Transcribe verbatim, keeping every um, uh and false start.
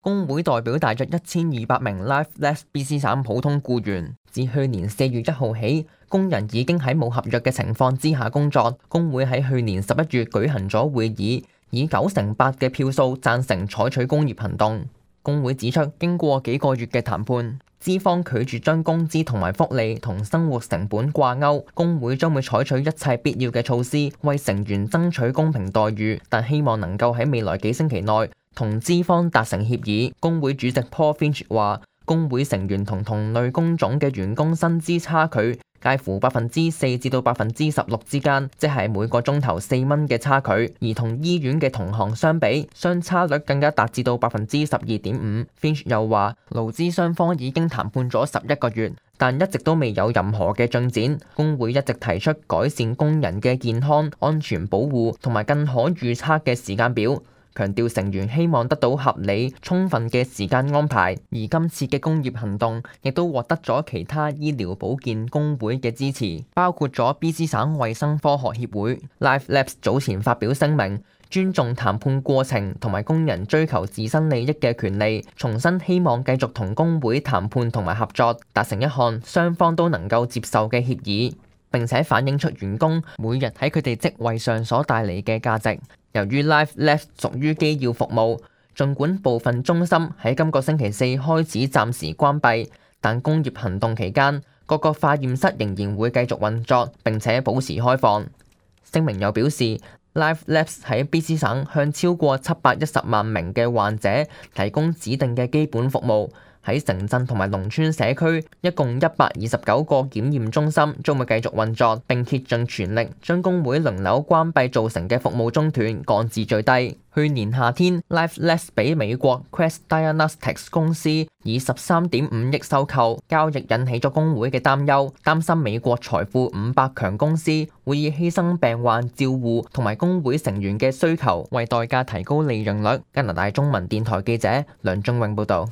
工會代表大約一千二百名 Life Labs B C 省普通僱員，自去年四月一號起，工人已經喺冇合約嘅情況之下工作。工會喺去年十一月舉行咗會議，以九成八嘅票數贊成採取工業行動。工會指出，經過幾個月嘅談判，資方拒絕將工資同埋福利同生活成本掛鈎，工會將會採取一切必要嘅措施，為成員爭取公平待遇，但希望能夠喺未來幾星期內同資方達成協議。工會主席 Paul Finch 話，工會成員同同類工種嘅員工薪資差距介乎百分之四至到百分之十六之間，即係每個鐘頭四蚊嘅差距。而同醫院嘅同行相比，相差率更加達至到百分之十二點五。Finch 又話，勞資雙方已經談判咗十一個月，但一直都未有任何嘅進展。工會一直提出改善工人嘅健康、安全保護同埋更可預測嘅時間表，強調成員希望得到合理、充分嘅時間安排。而今次嘅工業行動亦都獲得咗其他醫療保健工會嘅支持，包括咗 B C 省衛生科學協會。Life Labs 早前發表聲明，尊重談判過程同埋工人追求自身利益嘅權利，重申希望繼續同工會談判同埋合作，達成一項雙方都能夠接受嘅協議，並且反映出員工每日喺佢哋職位上所帶嚟嘅價值。由於 Life Labs 屬於機要服務，儘管部分中心喺今個星期四開始暫時關閉，但工業行動期間，各個化驗室仍然會繼續運作並且保持開放。聲明又表示，Life Labs 喺 B C 省向超過七百一十萬名嘅患者提供指定嘅基本服務。喺城鎮同埋農村社區，一共一百二十九個檢驗中心將會繼續運作，並竭盡全力將工會輪流關閉造成嘅服務中斷降至最低。去年夏天 ，Life Labs 俾美國 Quest Diagnostics 公司以十三點五億收購，交易引起咗工會嘅擔憂，擔心美國財富五百強公司會以犧牲病患照護同埋工會成員嘅需求為代價提高利潤率。加拿大中文電台記者梁仲榮報導。